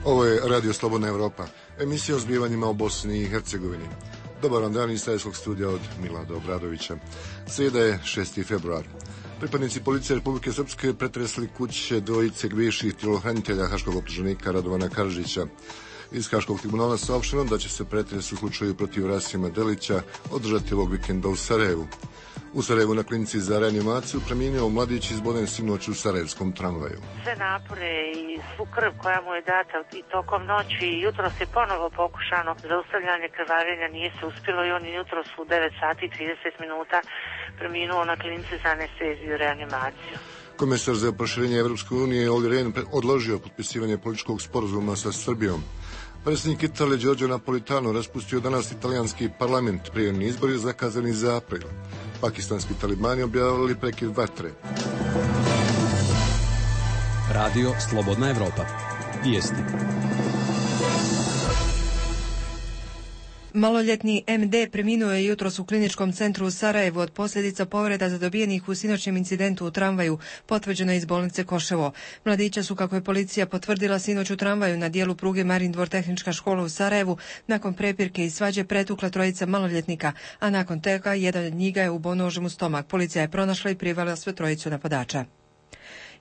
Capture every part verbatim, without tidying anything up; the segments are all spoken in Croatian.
Ovo je Radio Slobodna Evropa, emisija o zbivanjima u Bosni i Hercegovini. Dobar vam dan iz Sarajevskog studija od Milada Obradovića. Srijeda je šesti februar. Pripadnici policije Republike Srpske pretresli kuće dvojice bivših tjelohranitelja haškog optuženika Radovana Karadžića. Iz Haškog tribunala saopšteno da će se pretres u slučaju protiv Rasima Delića održati ovog vikenda u Sarajevu. U Sarajevu na klinici za reanimaciju preminuo mladić izboden sinoć u sarajevskom tramvaju. Sve napore i svu krv koja mu je data i tokom noći i jutros je ponovo pokušano zaustavljanje krvarenja, nije se uspjelo i on je jutros u devet sati i trideset minuta preminuo na klinici za anesteziju i reanimaciju. Komesar za proširenje Evropske unije Olli Rehn odložio potpisivanje političkog sporazuma sa Srbijom. Predsjednik Italije Giorgio Napolitano raspustio danas italijanski parlament, prijemni izbori zakazani za april. Pakistanski talibani objavili prekid vatre. Radio Slobodna Evropa. Vijesti. Maloljetni em de preminuo je jutros u kliničkom centru u Sarajevu od posljedica povreda zadobijenih u sinoćnjem incidentu u tramvaju, potvrđeno iz bolnice Koševo. Mladića su, kako je policija potvrdila, sinoć u tramvaju na dijelu pruge Marin Dvor tehnička škola u Sarajevu nakon prepirke i svađe pretukla trojica maloljetnika, a nakon toga jedan od njih je ubio nožem u stomak. Policija je pronašla i privela sve trojicu napadača.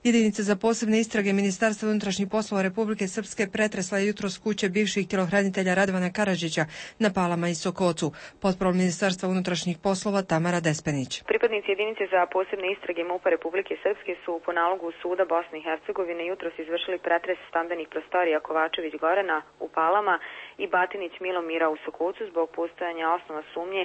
Jedinica za posebne istrage Ministarstva unutrašnjih poslova Republike Srpske pretresla je jutros kuće bivših tjelohranitelja Radovana Karadžića na Palama i Sokocu. Potporol Ministarstva unutrašnjih poslova Tamara Despenić. Pripadnici jedinice za posebne istrage MUP-a Republike Srpske su po nalogu Suda Bosne i Hercegovine jutros izvršili pretres stambenih prostorija Kovačević Gorana u Palama i Batinić Milomira u Sokocu zbog postojanja osnova sumnje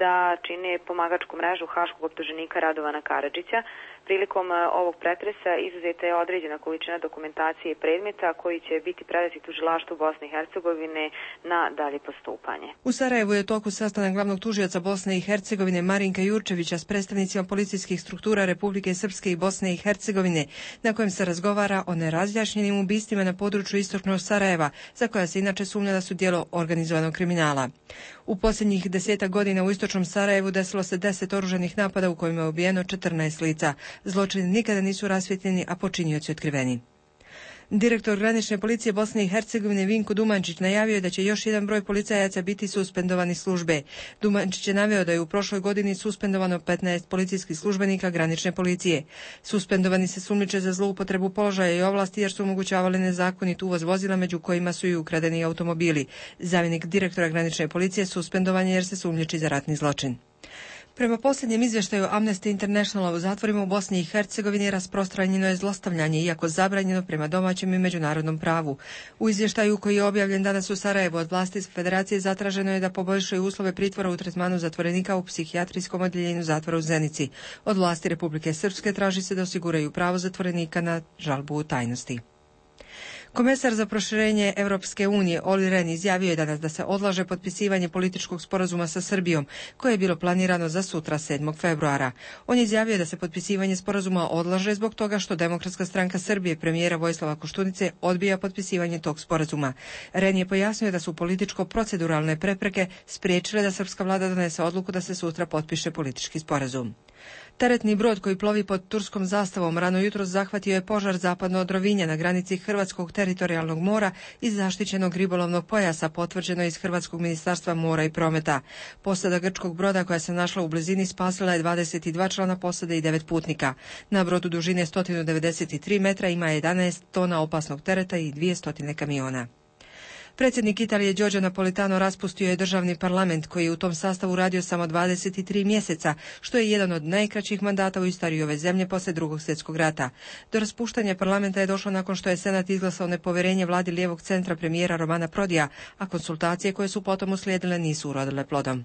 da čine pomagačku mrežu haškog optuženika Radovana Karadžića. Prilikom ovog pretresa izuzeta je određena količina dokumentacije i predmeta koji će biti predati tužilaštvu Bosne i Hercegovine na dalje postupanje. U Sarajevu je u toku sastanak glavnog tužioca Bosne i Hercegovine Marinka Jurčevića s predstavnicima policijskih struktura Republike Srpske i Bosne i Hercegovine, na kojem se razgovara o nerazjašnjenim ubistvima na području istočnog Sarajeva, za koja se inače sumnja da su djelo organizovanog kriminala. U posljednjih desetak godina u istočnom Sarajevu desilo se deset oružanih napada u kojima je ubijeno četrnaest lica. Zločini nikada nisu rasvjetljeni, a počinioci otkriveni. Direktor granične policije Bosne i Hercegovine Vinko Dumančić najavio je da će još jedan broj policajaca biti suspendovani službe. Dumančić je naveo da je u prošloj godini suspendovano petnaest policijskih službenika granične policije. Suspendovani se sumnjiče za zloupotrebu položaja i ovlasti jer su omogućavali nezakonit uvoz vozila, među kojima su i ukradeni automobili. Zamjenik direktora granične policije suspendovan je jer se sumnjiči za ratni zločin. Prema posljednjem izvještaju Amnesty Internationala, u zatvorima u Bosni i Hercegovini rasprostranjeno je zlostavljanje, iako zabranjeno prema domaćem i međunarodnom pravu. U izvještaju koji je objavljen danas u Sarajevu od vlasti iz Federacije zatraženo je da poboljšaju uslove pritvora u tretmanu zatvorenika u psihijatrijskom odjeljenju zatvora u Zenici. Od vlasti Republike Srpske traži se da osiguraju pravo zatvorenika na žalbu u tajnosti. Komesar za proširenje Evropske unije Olli Rehn izjavio je danas da se odlaže potpisivanje političkog sporazuma sa Srbijom, koje je bilo planirano za sutra sedmog februara. On je izjavio da se potpisivanje sporazuma odlaže zbog toga što Demokratska stranka Srbije premijera Vojislava Koštunice odbija potpisivanje tog sporazuma. Rehn je pojasnio da su političko-proceduralne prepreke spriječile da srpska vlada donese odluku da se sutra potpiše politički sporazum. Teretni brod koji plovi pod turskom zastavom rano jutros zahvatio je požar zapadno od Rovinja na granici Hrvatskog teritorijalnog mora iz zaštićenog ribolovnog pojasa, potvrđeno iz Hrvatskog ministarstva mora i prometa. Posada grčkog broda koja se našla u blizini spasila je dvadeset dva člana posade i devet putnika. Na brodu dužine sto devedeset tri metra ima jedanaest tona opasnog tereta i dvjesto kamiona. Predsjednik Italije Giorgio Napolitano raspustio je državni parlament koji je u tom sastavu radio samo dvadeset tri mjeseca, što je jedan od najkraćih mandata u istoriji ove zemlje poslije Drugog svjetskog rata. Do raspuštanja parlamenta je došlo nakon što je Senat izglasao nepovjerenje vladi lijevog centra premijera Romana Prodija, a konsultacije koje su potom uslijedile nisu urodile plodom.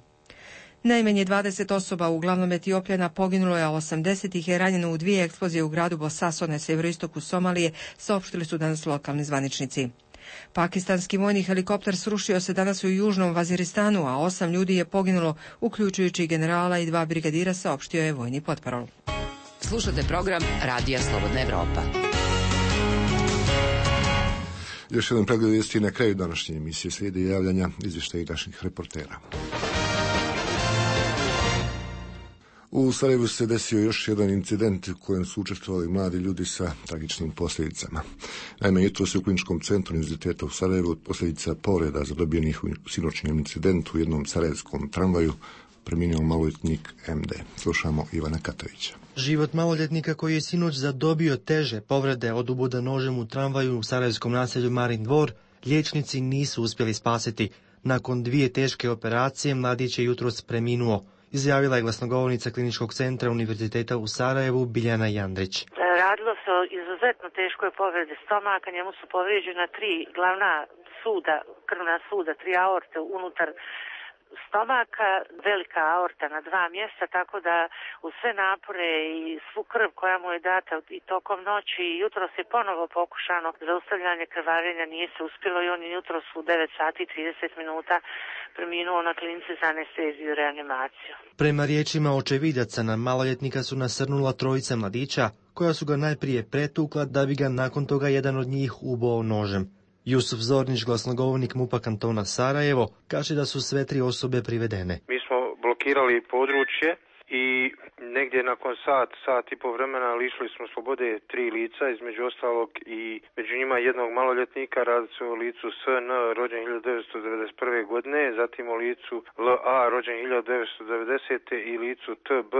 Najmanje dvadeset osoba, uglavnom Etiopljana, poginulo je, a osamdeset ih je ranjeno u dvije eksplozije u gradu Bosaso na sjeveroistoku Somalije, saopštili su danas lokalni zvaničnici. Pakistanski vojni helikopter srušio se danas u južnom Vaziristanu, a osam ljudi je poginulo, uključujući generala i dva brigadira, saopštio je vojni potparol. Slušate program Radija Slobodna Evropa. Još jedan pregled vijesti na kraju današnje emisije, slijedi javljanja izvještaja naših reportera. U Sarajevu se desio još jedan incident u kojem su učestvovali mladi ljudi sa tragičnim posljedicama. Naime, jutros u Kliničkom centru Univerziteta u Sarajevu od posljedica povreda zadobijenih u sinoćnjem incidentu u jednom sarajevskom tramvaju preminuo maloljetnik em de. Slušamo Ivana Katovića. Život maloljetnika koji je sinoć zadobio teže povrede od uboda nožem u tramvaju u sarajevskom naselju Marin Dvor, liječnici nisu uspjeli spasiti. Nakon dvije teške operacije mladić je jutros preminuo, izjavila je glasnogovornica Kliničkog centra Univerziteta u Sarajevu Biljana Jandrić. Radilo se o izuzetno teškoj povredi stomaka, njemu su povrijeđena tri glavna suda, krvna suda, tri aorte unutar stomaka, velika aorta na dva mjesta, tako da u sve napore i svu krv koja mu je data i tokom noći i jutros je ponovo pokušano zaustavljanje krvarenja, nije se uspjelo i on je jutros u devet sati i trideset minuta preminuo na klinici za anesteziju i reanimaciju. Prema riječima očevidaca na maloljetnika su nasrnula trojica mladića, koja su ga najprije pretukla da bi ga nakon toga jedan od njih uboo nožem. Jusuf Zornić, glasnogovornik MUP-a kantona Sarajevo, kaže da su sve tri osobe privedene. Mi smo blokirali područje i negdje nakon sat, sat i po vremena lišili smo slobode tri lica, između ostalog i među njima jednog maloljetnika, radi se o licu S N, rođen hiljadu devetsto devedeset prve godine, zatim o licu L A, rođen hiljadu devetsto devedesete i licu T B,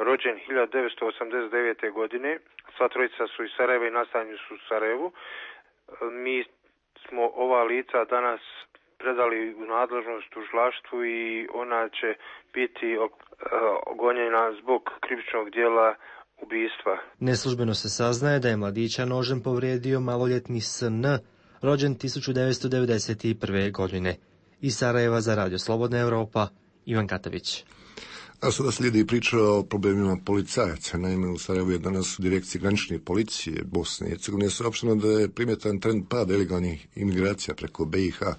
rođen hiljadu devetsto osamdeset devete godine. Sva trojica su iz Sarajeva i nastanjeni su u Sarajevu. Mi smo ova lica danas predali u nadležnost tužilaštvu i ona će biti gonjena zbog krivičnog djela ubistva. Neslužbeno se saznaje da je mladića nožem povrijedio maloljetni S N, rođen tisuću devetsto devedeset prve godine. Iz Sarajeva za Radio Slobodna Evropa, Ivan Katović. A sada slijedi priča o problemima policajaca. Naime, u Sarajevu je danas u direkciji granične policije Bosne i Hercegovine saopšteno da je primjetan trend pada ilegalnih imigracija preko be i ha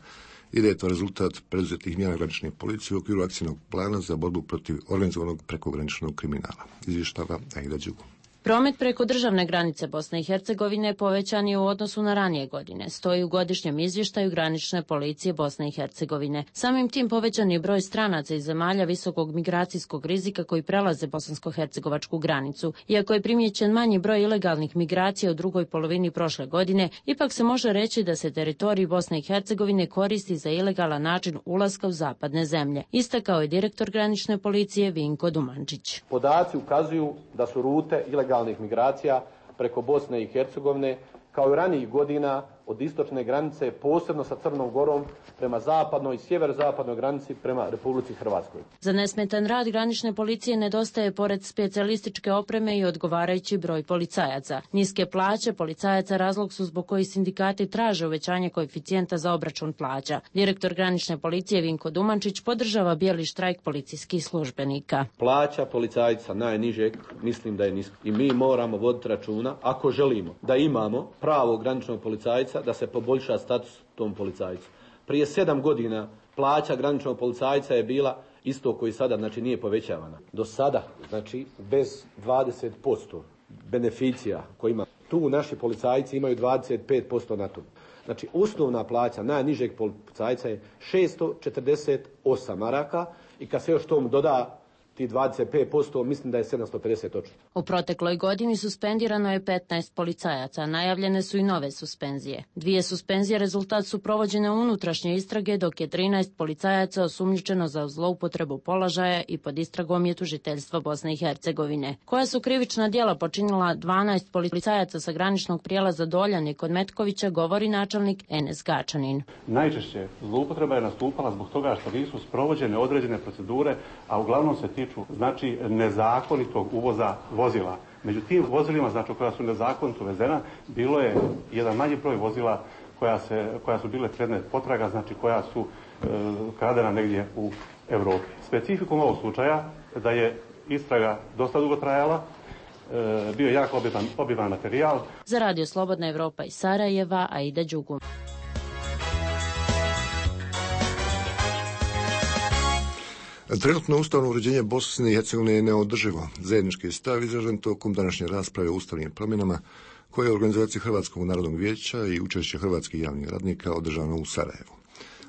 i da je to rezultat preduzetih mjera granične policije u okviru akcijnog plana za borbu protiv organizovanog prekograničnog kriminala. Izvještava Aida Đugo. Promet preko državne granice Bosne i Hercegovine povećan je u odnosu na ranije godine, stoji u godišnjem izvještaju granične policije Bosne i Hercegovine. Samim tim povećan je broj stranaca iz zemalja visokog migracijskog rizika koji prelaze bosansko-hercegovačku granicu. Iako je primijećen manji broj ilegalnih migracija u drugoj polovini prošle godine, ipak se može reći da se teritorij Bosne i Hercegovine koristi za ilegalan način ulaska u zapadne zemlje, istakao je direktor granične policije Vinko Dumančić. Podaci ukazuju da su rute ilegalnih migracija preko Bosne i Hercegovine kao i ranijih godina od istočne granice, posebno sa Crnom Gorom, prema zapadnoj i sjeverozapadnoj granici prema Republici Hrvatskoj. Za nesmetan rad granične policije nedostaje pored specijalističke opreme i odgovarajući broj policajaca. Niske plaće policajaca razlog su zbog kojih sindikati traže uvećanje koeficijenta za obračun plaća. Direktor granične policije Vinko Dumančić podržava bijeli štrajk policijskih službenika. Plaća policajca najnižeg mislim da je niska i mi moramo voditi računa, ako želimo da imamo pravog graničnog policajca, da se poboljša status tom policajcu. Prije sedam godina plaća graničnog policajca je bila isto koji sada, znači nije povećavana. Do sada, znači bez dvadeset posto beneficija koji ima, tu naši policajci imaju dvadeset pet posto na to. Znači osnovna plaća najnižeg policajca je šesto četrdeset osam maraka i kad se još tomu doda ti dvadeset pet posto, mislim da je sedamsto pedeset točno. U protekloj godini suspendirano je petnaest policajaca, najavljene su i nove suspenzije. Dvije suspenzije rezultat su provođene unutrašnje istrage, dok je trinaest policajaca osumnjičeno za zloupotrebu položaja i pod istragom je tužiteljstvo Bosne i Hercegovine. Koja su krivična djela počinila dvanaest policajaca sa graničnog prijelaza Doljani kod Metkovića, govori načelnik Enes Gačanin. Najčešće zloupotreba je nastupala zbog toga što nisu sprovođene određene procedure, a uglavnom se tiču znači nezakonitog uvoza vozila. Među tim vozilima, znači koja su nezakonito uvezena, bilo je jedan manji broj vozila koja, se, koja su bile predmet potraga, znači koja su e, kradena negdje u Europi. Specifikum ovog slučaja da je istraga dosta dugo trajala, e, bio je jako obiman, obiman materijal. Za Radio Slobodna Evropa iz Sarajeva, Aida Đugu. Trenutno ustavno uređenje Bosne i Hercegovine je neodrživo. Zajednički stav izražen tokom današnje rasprave o ustavnim promjenama koje je u organizaciji Hrvatskog narodnog vijeća i učešće hrvatskih javnih radnika održano u Sarajevu.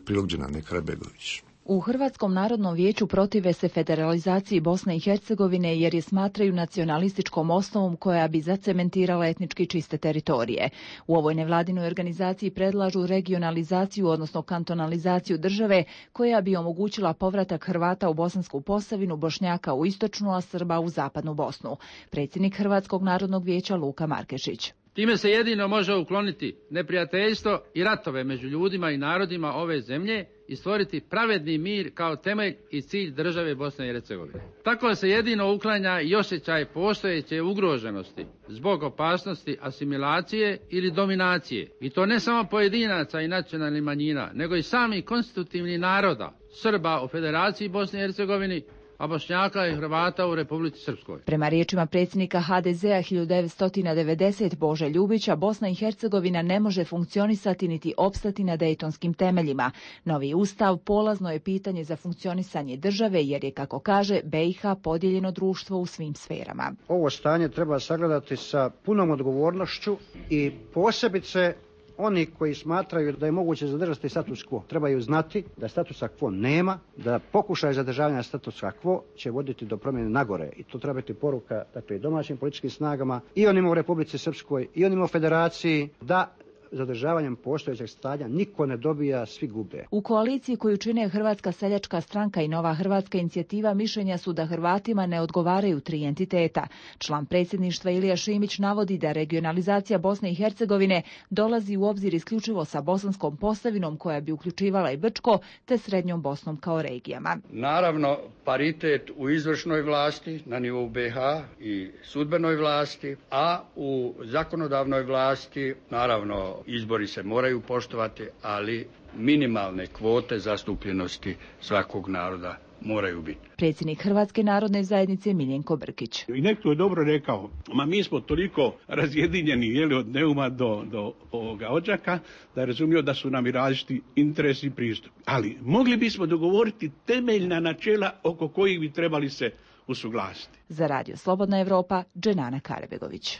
Prilog Dženane Karabegović. U Hrvatskom narodnom vijeću protive se federalizaciji Bosne i Hercegovine jer je smatraju nacionalističkom osnovom koja bi zacementirala etnički čiste teritorije. U ovoj nevladinoj organizaciji predlažu regionalizaciju, odnosno kantonalizaciju države koja bi omogućila povratak Hrvata u Bosansku Posavinu, Bošnjaka u istočnu, a Srba u zapadnu Bosnu. Predsjednik Hrvatskog narodnog vijeća Luka Markešić. Time se jedino može ukloniti neprijateljstvo i ratove među ljudima i narodima ove zemlje i stvoriti pravedni mir kao temelj i cilj države Bosne i Hercegovine. Tako se jedino uklanja i osjećaj postojeće ugroženosti zbog opasnosti asimilacije ili dominacije. I to ne samo pojedinaca i nacionalnih manjina, nego i samih konstitutivnih naroda, Srba u Federaciji Bosne i Hercegovine, a Bošnjaka i Hrvata u Republici Srpskoj. Prema riječima predsjednika ha de zea hiljadu devetsto devedeset Bože Ljubića, Bosna i Hercegovina ne može funkcionisati niti opstati na dejtonskim temeljima. Novi ustav polazno je pitanje za funkcionisanje države jer je, kako kaže, be i ha podijeljeno društvo u svim sferama. Ovo stanje treba sagledati sa punom odgovornošću i posebice oni koji smatraju da je moguće zadržati status quo trebaju znati da statusa quo nema, da pokušaj zadržavanja statusa quo će voditi do promjene nagore i to treba biti poruka, dakle, i domaćim političkim snagama i onima u Republici Srpskoj i onima u Federaciji, da zadržavanjem postojećeg stanja niko ne dobija, svi gube. U koaliciji koju čine Hrvatska seljačka stranka i Nova hrvatska inicijativa mišljenja su da Hrvatima ne odgovaraju tri entiteta. Član predsjedništva Ilija Šimić navodi da regionalizacija Bosne i Hercegovine dolazi u obzir isključivo sa Bosanskom Posavinom koja bi uključivala i Brčko te Srednjom Bosnom kao regijama. Naravno, paritet u izvršnoj vlasti na nivou be ha i sudbenoj vlasti, a u zakonodavnoj vlasti naravno izbori se moraju poštovati, ali minimalne kvote zastupljenosti svakog naroda moraju biti. Predsjednik Hrvatske narodne zajednice Miljenko Brkić. I neko je dobro rekao, ma mi smo toliko razjedinjeni, jeli, od Neuma do, do ovoga Odžaka, da je razumio da su nam i različiti interesi i pristup. Ali mogli bismo dogovoriti temeljna načela oko kojih bi trebali se usuglasiti. Za Radio Slobodna Evropa, Dženana Karebegović.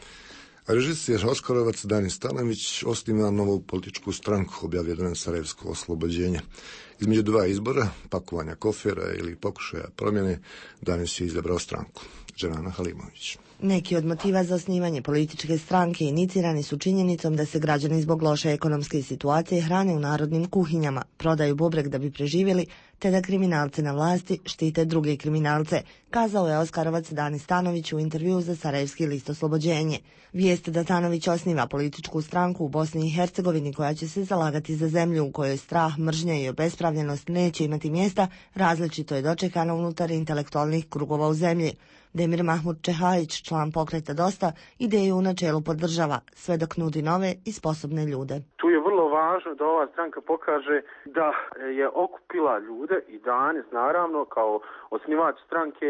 Režiser Oskarovac Danis Stanović osniva novu političku stranku, objavio danas Sarajevsko oslobođenje. Između dva izbora, pakovanja kofera ili pokušaja promjene, Danis je izabrao stranku. Dženana Halimović. Neki od motiva za osnivanje političke stranke inicirani su činjenicom da se građani zbog loše ekonomske situacije hrane u narodnim kuhinjama, prodaju bubreg da bi preživjeli, te da kriminalci na vlasti štite druge kriminalce, kazao je Oskarovac Danis Stanović u intervjuu za Sarajevski list Oslobođenje. Vijest da Stanović osniva političku stranku u Bosni i Hercegovini koja će se zalagati za zemlju u kojoj strah, mržnja i obespravljenost neće imati mjesta, različito je dočekana unutar intelektualnih krugova u zemlji. Demir Mahmud Čehajić, član pokreta Dosta, ideju u načelu podržava, sve dok nudi nove i sposobne ljude. Tu je vrlo važno da ova stranka pokaže da je okupila ljude i danas, naravno, kao osnivač stranke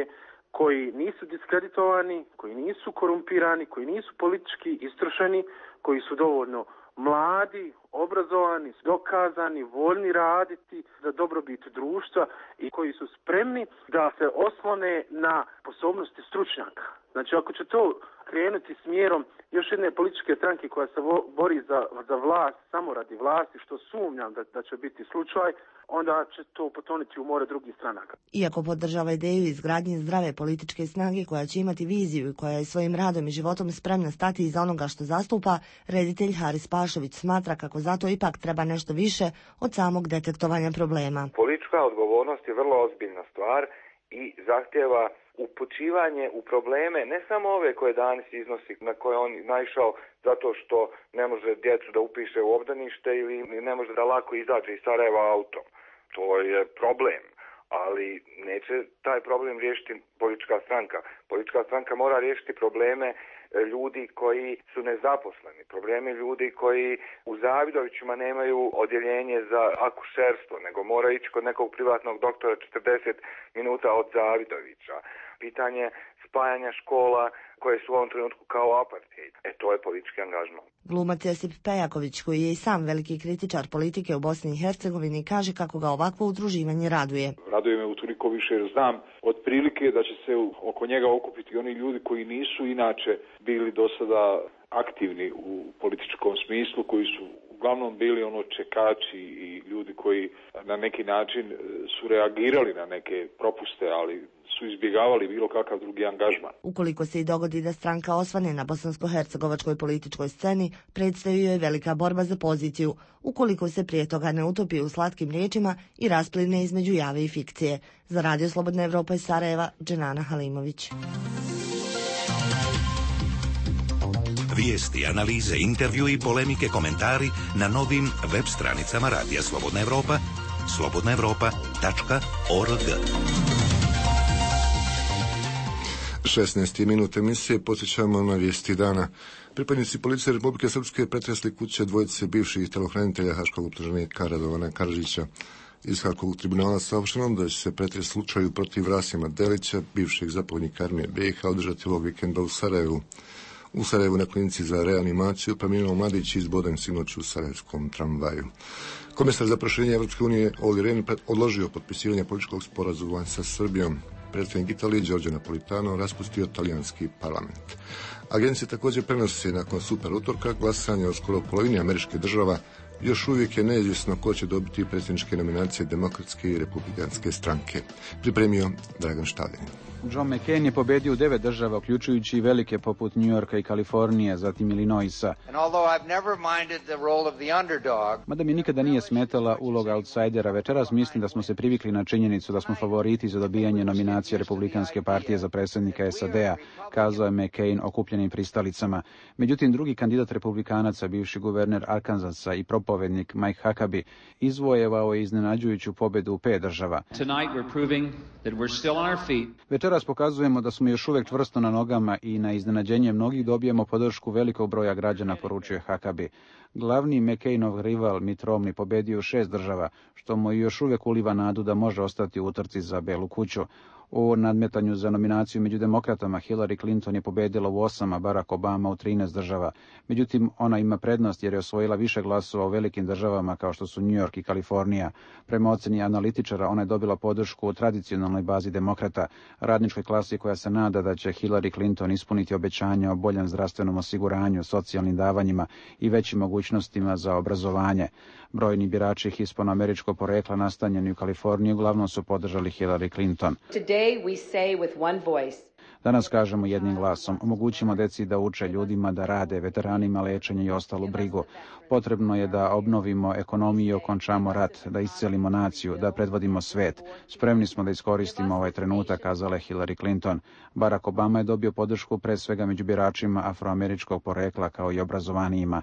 koji nisu diskreditovani, koji nisu korumpirani, koji nisu politički istrošeni, koji su dovoljno mladi, obrazovani, dokazani, voljni raditi za dobrobit društva i koji su spremni da se oslone na sposobnosti stručnjaka. Znači, ako će to krenuti smjerom još jedne političke stranke koja se vo, bori za, za vlast, samo radi vlasti, što sumnjam da, da će biti slučaj, onda će to potoniti u more drugih stranaka. Iako podržava ideju izgradnje zdrave političke snage koja će imati viziju i koja je svojim radom i životom spremna stati iza onoga što zastupa, reditelj Haris Pašović smatra kako zato ipak treba nešto više od samog detektovanja problema. Politička odgovornost je vrlo ozbiljna stvar i zahtjeva upućivanje u probleme, ne samo ove koje danas iznosi, na koje on naišao zato što ne može djecu da upiše u obdanište ili ne može da lako izađe iz Sarajeva autom. To je problem, ali neće taj problem riješiti politička stranka. Politička stranka mora riješiti probleme ljudi koji su nezaposleni, problemi ljudi koji u Zavidovićima nemaju odjeljenje za akušerstvo, nego mora ići kod nekog privatnog doktora četrdeset minuta od Zavidovića. Pitanje spajanja škola koje su u ovom trenutku kao apartheid. E, to je politički angažman. Glumac Josip Pejaković, koji je i sam veliki kritičar politike u Bosni i Hercegovini, kaže kako ga ovakvo udruživanje raduje. Raduje me utoliko više jer znam otprilike da će se oko njega okupiti oni ljudi koji nisu inače bili do sada aktivni u političkom smislu, koji su uglavnom bili ono čekači i ljudi koji na neki način su reagirali na neke propuste, ali su izbjegavali bilo kakav drugi angažman. Ukoliko se i dogodi da stranka osvane na bosansko-hercegovačkoj političkoj sceni, predstoji joj velika borba za poziciju, ukoliko se prije toga ne utopi u slatkim riječima i raspline između jave i fikcije. Za Radio Slobodna Evropa iz Sarajeva, Dženana Halimović. Vijesti, analize, intervju i polemike, komentari na novim web stranicama Radija Slobodna Evropa, slobodna evropa tačka org. šesnaest minut emisije, posjećamo na vijesti dana. Pripadnici policije Republike Srpske pretresli kuće dvojice bivših telohranitelja haškog optuženika Radovana Karadžića. Iz Haškog tribunala saopšteno da će se pretres slučaju protiv Rasima Delića, bivšeg zapovjednika armije B i H, održati ovog vikenda u Sarajevu. U Sarajevu na klinici za reanimaciju preminuo mladić izboden sinoć u sarajevskom tramvaju. Komesar za proširenje Evropske unije Olli Rehn odložio potpisivanje političkog sporazuma sa Srbijom. Predsjednik Italije Giorgio Napolitano raspustio talijanski parlament. Agencije također prenose nakon super utorka glasanje od skoro polovini američkih država. Još uvijek je neizvjesno ko će dobiti predsjedničke nominacije demokratske i republikanske stranke. Pripremio Dragan Štavljen. John McCain je pobedio u devet država, uključujući i velike poput New Yorka i Kalifornije, zatim Illinoisa. Mada mi nikada nije smetala uloga outsidera, večeras mislim da smo se privikli na činjenicu da smo favoriti za dobijanje nominacije Republikanske partije za predsjednika S A D-a, kazao je McCain okupljenim pristalicama. Međutim, drugi kandidat republikanaca, bivši guverner Arkansasa i propovednik Mike Huckabee, izvojevao je iznenađujuću pobedu u pet država. Večeras pokazujemo da smo još uvijek čvrsto na nogama i na iznenađenje mnogih dobijemo podršku velikog broja građana, poručuje Huckabee. Glavni McCainov rival Mitt Romney pobedio u šest država, što mu još uvijek uliva nadu da može ostati u utrci za Belu kuću. U nadmetanju za nominaciju među demokratama Hillary Clinton je pobedila u osam, a Barack Obama u trinaest država. Međutim, ona ima prednost jer je osvojila više glasova u velikim državama kao što su New York i Kalifornija. Prema oceni analitičara, ona je dobila podršku u tradicionalnoj bazi demokrata, radničkoj klasi koja se nada da će Hillary Clinton ispuniti obećanja o boljem zdravstvenom osiguranju, socijalnim davanjima i većim mogućnostima za obrazovanje. Brojni birači hispanoameričkog porekla nastanjeni u Kaliforniji uglavnom su podržali Hillary Clinton. Danas kažemo jednim glasom, omogućimo deci da uče, ljudima da rade, veteranima lečenje i ostalu brigu. Potrebno je da obnovimo ekonomiju i okončamo rat, da iscelimo naciju, da predvodimo svet. Spremni smo da iskoristimo ovaj trenutak, kazala je Hillary Clinton. Barack Obama je dobio podršku pre svega među biračima afroameričkog porekla kao i obrazovanijima.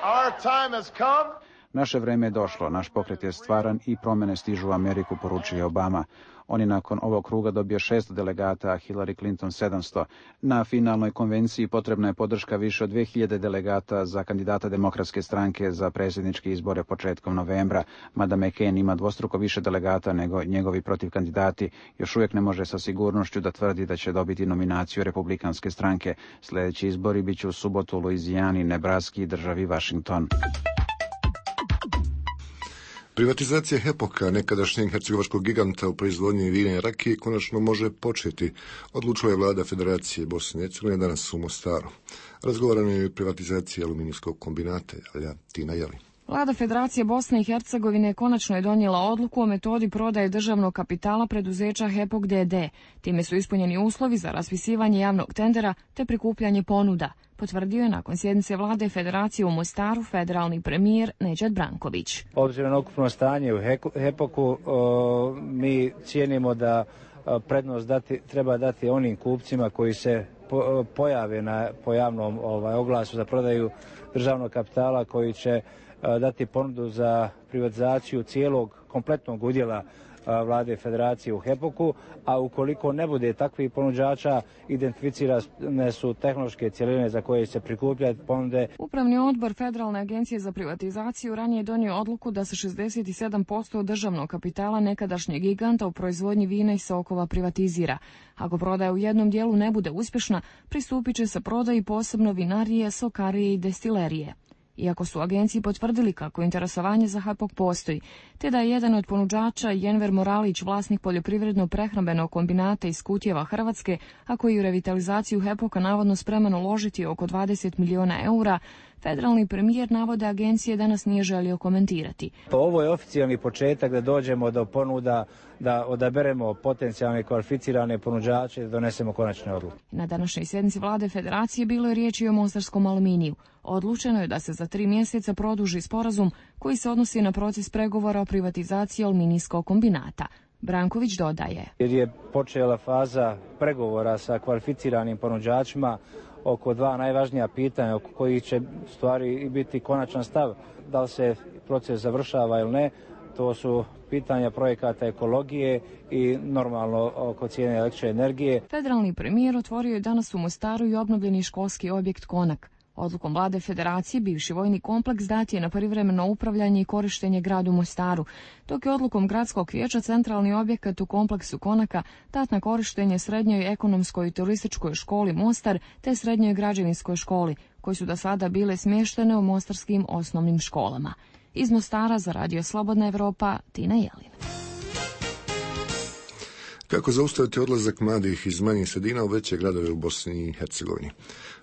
Naše vreme je došlo, naš pokret je stvaran i promjene stižu u Ameriku, poručuje Obama. On je nakon ovog kruga dobio šest delegata, a Hillary Clinton sedamsto. Na finalnoj konvenciji potrebna je podrška više od dve hiljade delegata za kandidata Demokratske stranke za predsjedničke izbore početkom novembra. Mada McCain ima dvostruko više delegata nego njegovi protivkandidati, još uvijek ne može sa sigurnošću da tvrdi da će dobiti nominaciju Republikanske stranke. Sljedeći izbori bit će u subotu u Luizijani, Nebraski i državi Washington. Privatizacija Hepoka, nekadašnjeg hercegovačkog giganta u proizvodnji vina i rakije, konačno može početi, odlučila je vlada Federacije Bosne i Hercegovine danas u Mostaru. Razgovarano je i o privatizaciji aluminijskog kombinata, Alja Tina Jeli. Vlada Federacije Bosne i Hercegovine konačno je donijela odluku o metodi prodaje državnog kapitala preduzeća Hepok D D. Time su ispunjeni uslovi za raspisivanje javnog tendera te prikupljanje ponuda, potvrdio je nakon sjednice vlade Federacije u Mostaru federalni premijer Nedžad Branković. Obzirom na ukupno stanje u Hepoku, o, mi cijenimo da o, prednost dati, treba dati onim kupcima koji se po, pojave na, po javnom ovaj, oglasu za prodaju državnog kapitala, koji će dati ponudu za privatizaciju cijelog kompletnog udjela vlade Federacije u Hepoku, a ukoliko ne bude takvih ponuđača, identificirane su tehnološke cjeline za koje se prikupljaju ponude. Upravni odbor Federalne agencije za privatizaciju ranije je donio odluku da se šezdeset sedam posto državnog kapitala nekadašnjeg giganta u proizvodnji vina i sokova privatizira. Ako prodaja u jednom dijelu ne bude uspješna, pristupit će se prodaji posebno vinarije, sokarije i destilerije. Iako su agenciji potvrdili kako interesovanje za Hepok postoji, te da je jedan od ponuđača Jenver Moralić vlasnik poljoprivredno-prehrambenog kombinata iz Kutjeva, Hrvatske, a koji u revitalizaciju Hepoka navodno spreman uložiti oko dvadeset miliona eura, Federalni premijer navode agencije danas nije želio komentirati. Ovo je oficijalni početak da dođemo do ponuda, da odaberemo potencijalne kvalificirane ponuđače i da donesemo konačne odluke. Na današnjoj sjednici vlade federacije bilo je riječi o mostarskom aluminiju. Odlučeno je da se za tri mjeseca produži sporazum koji se odnosi na proces pregovora o privatizaciji aluminijskog kombinata. Branković dodaje. Jer je počela faza pregovora sa kvalificiranim ponuđačima oko dva najvažnija pitanja oko kojih će stvari biti konačan stav, da li se proces završava ili ne. To su pitanja projekata ekologije i normalno oko cijene električne energije. Federalni premijer otvorio je danas u Mostaru i obnovljeni školski objekt Konak. Odlukom vlade federacije bivši vojni kompleks dat je na privremeno upravljanje i korištenje gradu Mostaru, dok je odlukom gradskog vijeća centralni objekat u kompleksu Konaka dat na korištenje srednjoj ekonomskoj i turističkoj školi Mostar te srednjoj građevinskoj školi, koji su do sada bile smještene u mostarskim osnovnim školama. Iz Mostara za Radio Slobodna Evropa, Tina Jelin. Kako zaustaviti odlazak mladih iz manjih sredina u veće gradove u Bosni i Hercegovini?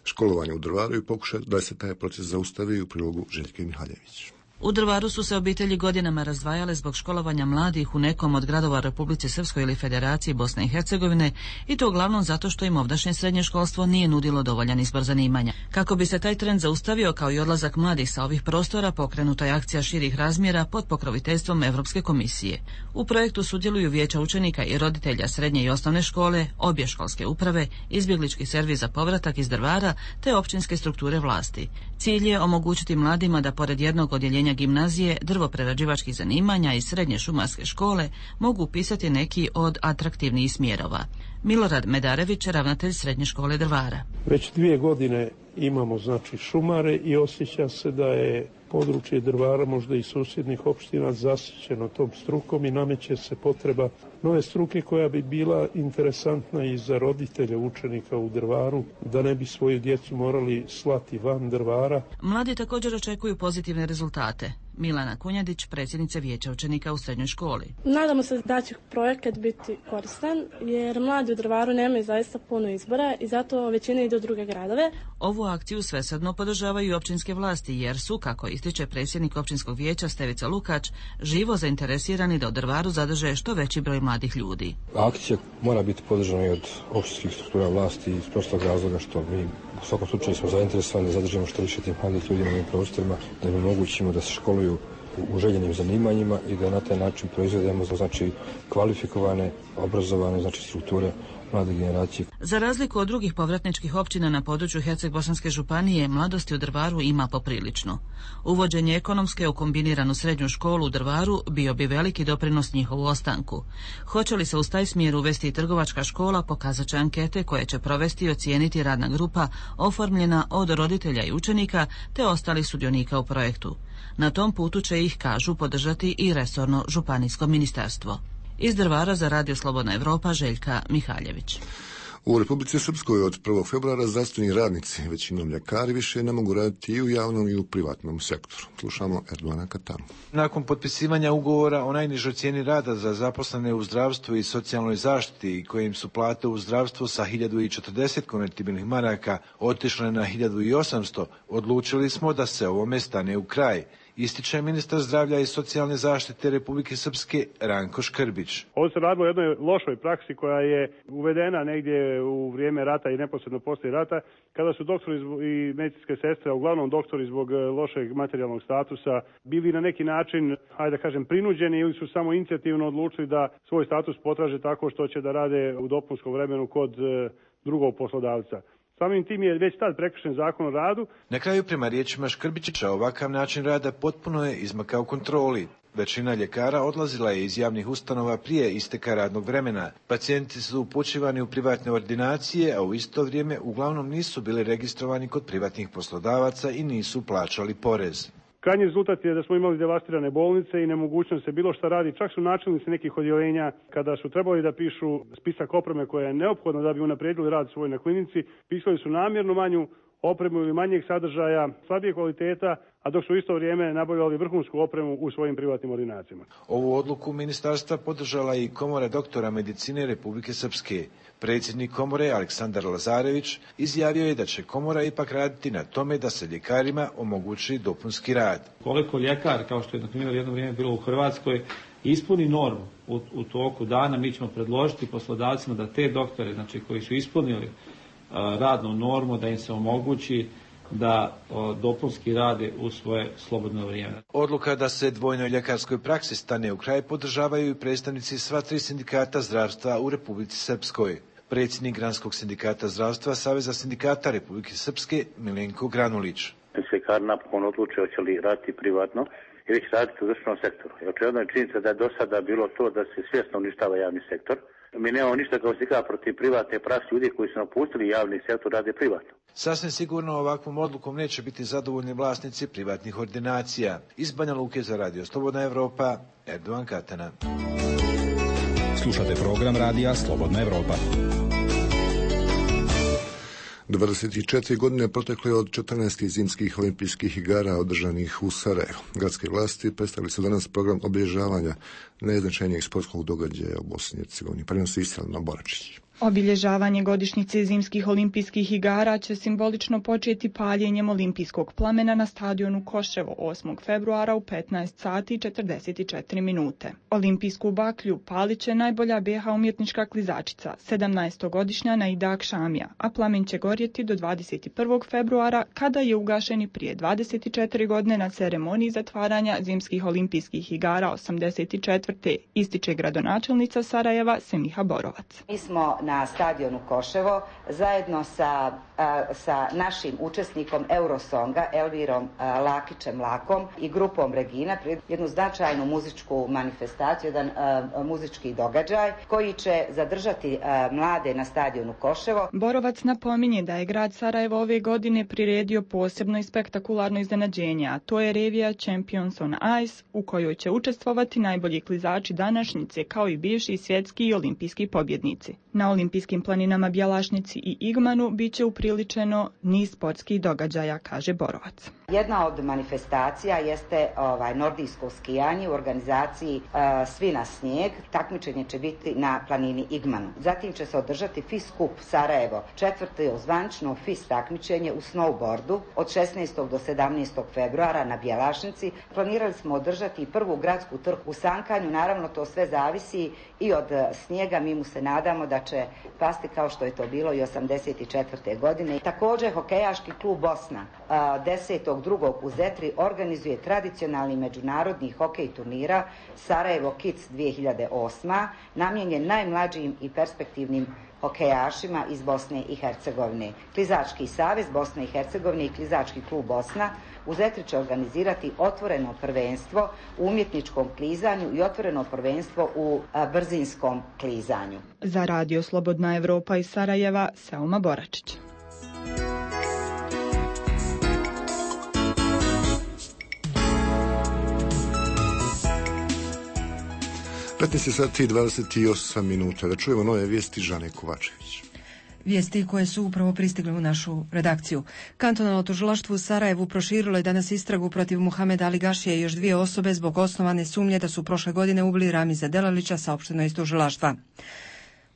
Školovanje u Drvaru i pokušaj da se taj proces zaustavi u prilogu Željke Mihaljević. U Drvaru su se obitelji godinama razdvajale zbog školovanja mladih u nekom od gradova Republike Srpskoj ili Federaciji Bosne i Hercegovine i to uglavnom zato što im ovdašnje srednje školstvo nije nudilo dovoljan izbor zanimanja. Kako bi se taj trend zaustavio kao i odlazak mladih sa ovih prostora, pokrenuta je akcija širih razmjera pod pokroviteljstvom Europske komisije. U projektu sudjeluju vijeća učenika i roditelja srednje i osnovne škole, obje školske uprave, izbjeglički servis za povratak iz Drvara te općinske strukture vlasti. Cilj je omogućiti mladima da pored jednog odjeljenja gimnazije, drvoprerađivačkih zanimanja i srednje šumarske škole mogu upisati neki od atraktivnijih smjerova. Milorad Medarević, ravnatelj srednje škole Drvara. Već dvije godine imamo znači šumare i osjeća se da je područje Drvara, možda i susjednih opština, zasićeno tom strukom i nameće se potreba nove struke koja bi bila interesantna i za roditelje učenika u Drvaru, da ne bi svoju djecu morali slati van Drvara. Mladi također očekuju pozitivne rezultate. Milana Kunjadić, predsjednica vijeća učenika u srednjoj školi. Nadamo se da će projekat biti koristan, jer mladi u Drvaru nemaju zaista puno izbora i zato većina ide u druge gradove. Ovu akciju svesrdno podržavaju i općinske vlasti, jer su, kako ističe predsjednik općinskog vijeća Stevica Lukač, živo zainteresirani da u Drvaru zadrže što veći broj mladih ljudi. Akcija mora biti podržana i od općinskih struktura vlasti iz prostog razloga što mi u svakom slučaju smo zainteresovani da zadržimo što više tih mladih ljudi na ovim prostorima, da im omogućimo da se školuju u željenim zanimanjima i da na taj način proizvedemo znači kvalifikovane, obrazovane znači strukture mlade generacije. Za razliku od drugih povratničkih općina na području Herceg-Bosanske županije, mladosti u Drvaru ima poprilično. Uvođenje ekonomske u kombiniranu srednju školu u Drvaru bio bi veliki doprinos njihovu ostanku. Hoće li se uz taj smjer uvesti i trgovačka škola, pokazat će ankete koje će provesti i ocijeniti radna grupa oformljena od roditelja i učenika te ostalih sudionika u projektu. Na tom putu će ih, kažu, podržati i resorno županijsko ministarstvo. Iz Drvara za Radio Slobodna Evropa, Željka Mihaljević. U Republici Srpskoj od prvog februara zdravstveni radnici, većinom ljekari, više ne mogu raditi i u javnom i u privatnom sektoru. Slušamo Erdogana Katamu. Nakon potpisivanja ugovora o najnižoj cijeni rada za zaposlene u zdravstvu i socijalnoj zaštiti, kojim su plate u zdravstvu sa hiljadu četrdeset konvertibilnih maraka otišle na hiljadu osamsto, odlučili smo da se ovome stane u kraj, ističe ministar zdravlja i socijalne zaštite Republike Srpske Ranko Škrbić. Ovo se radilo o jednoj lošoj praksi koja je uvedena negdje u vrijeme rata i neposredno poslije rata, kada su doktori i medicinske sestre, a uglavnom doktori zbog lošeg materijalnog statusa, bili na neki način, hajde da kažem, prinuđeni ili su samo inicijativno odlučili da svoj status potraže tako što će da rade u dopunskom vremenu kod drugog poslodavca. Samim tim je već tad prekršen zakon o radu. Na kraju, prema riječima Škrbića, ovakav način rada potpuno je izmakao kontroli. Većina ljekara odlazila je iz javnih ustanova prije isteka radnog vremena. Pacijenti su upućivani u privatne ordinacije, a u isto vrijeme uglavnom nisu bili registrovani kod privatnih poslodavaca i nisu plaćali porez. Krajnji rezultat je da smo imali devastirane bolnice i nemogućnost se bilo šta radi. Čak su načelnici nekih odjeljenja, kada su trebali da pišu spisak opreme koja je neophodna da bi unaprijedili rad svoj na klinici, pisali su namjerno manju opremu ili manjeg sadržaja, slabije kvaliteta, a dok su u isto vrijeme nabavljali vrhunsku opremu u svojim privatnim ordinacijama. Ovu odluku ministarstva podržala i Komora doktora medicine Republike Srpske. Predsjednik komore Aleksandar Lazarević izjavio je da će komora ipak raditi na tome da se ljekarima omogući dopunski rad. Koliko ljekar, kao što je na primjer jedno vrijeme bilo u Hrvatskoj, ispuni normu u, u toku dana, mi ćemo predložiti poslodavcima da te doktore, znači koji su ispunili uh, radnu normu, da im se omogući da o, dopunski rade u svoje slobodno vrijeme. Odluka da se dvojnoj ljekarskoj praksi stane u kraj podržavaju i predstavnici sva tri sindikata zdravstva u Republici Srpskoj. Predsjednik Granskog sindikata zdravstva Saveza sindikata Republike Srpske Milenko Granulić. Ljekari napokon odluče hoće li raditi privatno ili će raditi u državnom sektoru. Očigledno je činjenica da je do sada bilo to da se svjesno uništava javni sektor. Mi nemamo ništa kao sindikat protiv privatne prakse, ljudi koji su napustili javni sektor rade privatno. Sasvim sigurno ovakvom odlukom neće biti zadovoljni vlasnici privatnih ordinacija. Iz Banja Luke za Radio Slobodna Evropa, Erdovan Katana. Slušate program Radija Slobodna Evropa. dvadeset četiri godine protekle od četrnaestih zimskih olimpijskih igara održanih u Sarajevu. Gradske vlasti predstavili su danas program obilježavanja najznačajnijeg sportskog događaja u Bosni i Hercegovini. Prenosi Istrana Boračić. Obilježavanje godišnjice zimskih olimpijskih igara će simbolično početi paljenjem olimpijskog plamena na stadionu Koševo osmog februara u petnaest sati i četrdeset četiri minute. Olimpijsku baklju palit će najbolja B H umjetnička klizačica, sedamnaestogodišnja Naida Akšamija, a plamen će gorjeti do dvadeset prvog februara kada je ugašen prije dvadeset četiri godine na ceremoniji zatvaranja zimskih olimpijskih igara osamdeset četvrte ističe gradonačelnica Sarajeva Semiha Borovac. Mi smo na stadionu Koševo zajedno sa, a, sa našim učesnikom Eurosonga Elvirom a, Lakićem Lakom i grupom Regina jednu značajnu muzičku manifestaciju, jedan a, muzički događaj koji će zadržati a, mlade na stadionu Koševo. Borovac napominje da je grad Sarajevo ove godine priredio posebno i spektakularno iznenađenje, a to je revija Champions on Ice u kojoj će učestvovati najbolji klizači današnjice kao i bivši svjetski i olimpijski pobjednici. Na olimpijskim planinama Bjelašnici i Igmanu bit će upriličeno niz sportskih događaja, kaže Borovac. Jedna od manifestacija jeste ovaj, nordijsko skijanje u organizaciji uh, Svi na snijeg. Takmičenje će biti na planini Igmanu. Zatim će se održati F I S Kup Sarajevo, četvrto zvanično F I S takmičenje u snowboardu od šesnaestog do sedamnaestog februara na Bjelašnici. Planirali smo održati prvu gradsku trku u sankanju, naravno to sve zavisi i od snijega, mi mu se nadamo da će pasti kao što je to bilo i osamdeset četvrte godine. Također hokejaški klub Bosna desetog drugog u Zetri organizuje tradicionalni međunarodni hokej turnira Sarajevo Kids dvije hiljade osma, namijenjen najmlađim i perspektivnim hokejašima iz Bosne i Hercegovine. Klizački savez Bosne i Hercegovine i Klizački klub Bosna u Zetri će organizirati otvoreno prvenstvo u umjetničkom klizanju i otvoreno prvenstvo u a, brzinskom klizanju. Za Radio Slobodna Evropa iz Sarajeva, Selma Boračić. petnaest sati i dvadeset osam minuta. Da čujemo nove vijesti Žane Kovačević. Vijesti koje su upravo pristigle u našu redakciju. Kantonalno tužilaštvo u Sarajevu proširilo je danas istragu protiv Muhameda Ali Gašije i još dvije osobe zbog osnovane sumnje da su prošle godine ubili Ramiza Delalića, saopšteno iz tužilaštva.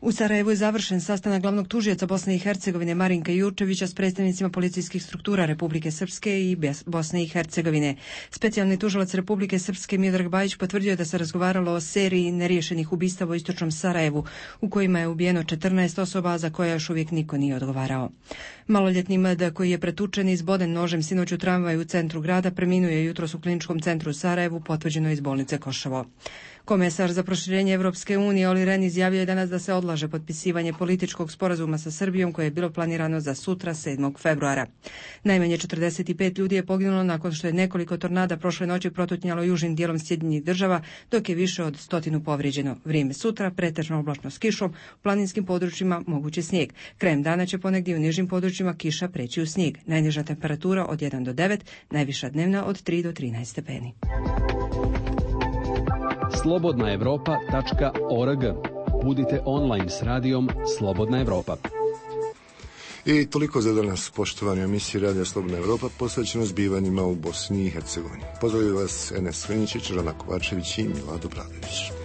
U Sarajevu je završen sastanak glavnog tužioca Bosne i Hercegovine Marinka Jurčevića s predstavnicima policijskih struktura Republike Srpske i Bosne i Hercegovine. Specijalni tužilac Republike Srpske Miodrag Bajić potvrdio da se razgovaralo o seriji neriješenih ubistava u istočnom Sarajevu, u kojima je ubijeno četrnaest osoba za koje još uvijek niko nije odgovarao. Maloljetni M D koji je pretučen i izboden nožem sinoć u tramvaju u centru grada preminuo je jutros u kliničkom centru u Sarajevu, potvrđeno iz bolnice Koševo. Komesar za proširenje Evropske unije Olli Rehn izjavio je danas da se odlaže potpisivanje političkog sporazuma sa Srbijom koje je bilo planirano za sutra sedmog februara. Najmanje četrdeset pet ljudi je poginulo nakon što je nekoliko tornada prošle noći protutnjalo južnim dijelom Sjedinjenih Država, dok je više od stotinu povrijeđeno. Vrijeme sutra pretežno oblačno s kišom, u planinskim područjima mogući snijeg. Krajem dana će ponegdje u nižim područjima kiša preći u snijeg. Najniža temperatura od jedan do devet, najviša dnevna od tri do trinaest stepeni. slobodna evropa tačka org. Budite online s radijom Slobodna Evropa. I toliko za danas, poštovani emisiji Radija Slobodna Evropa, posvećeno zbivanjima u Bosni i Hercegovini. Pozdravljaju vas Enes Veničić, Rana Kovačević i Milado Bradović.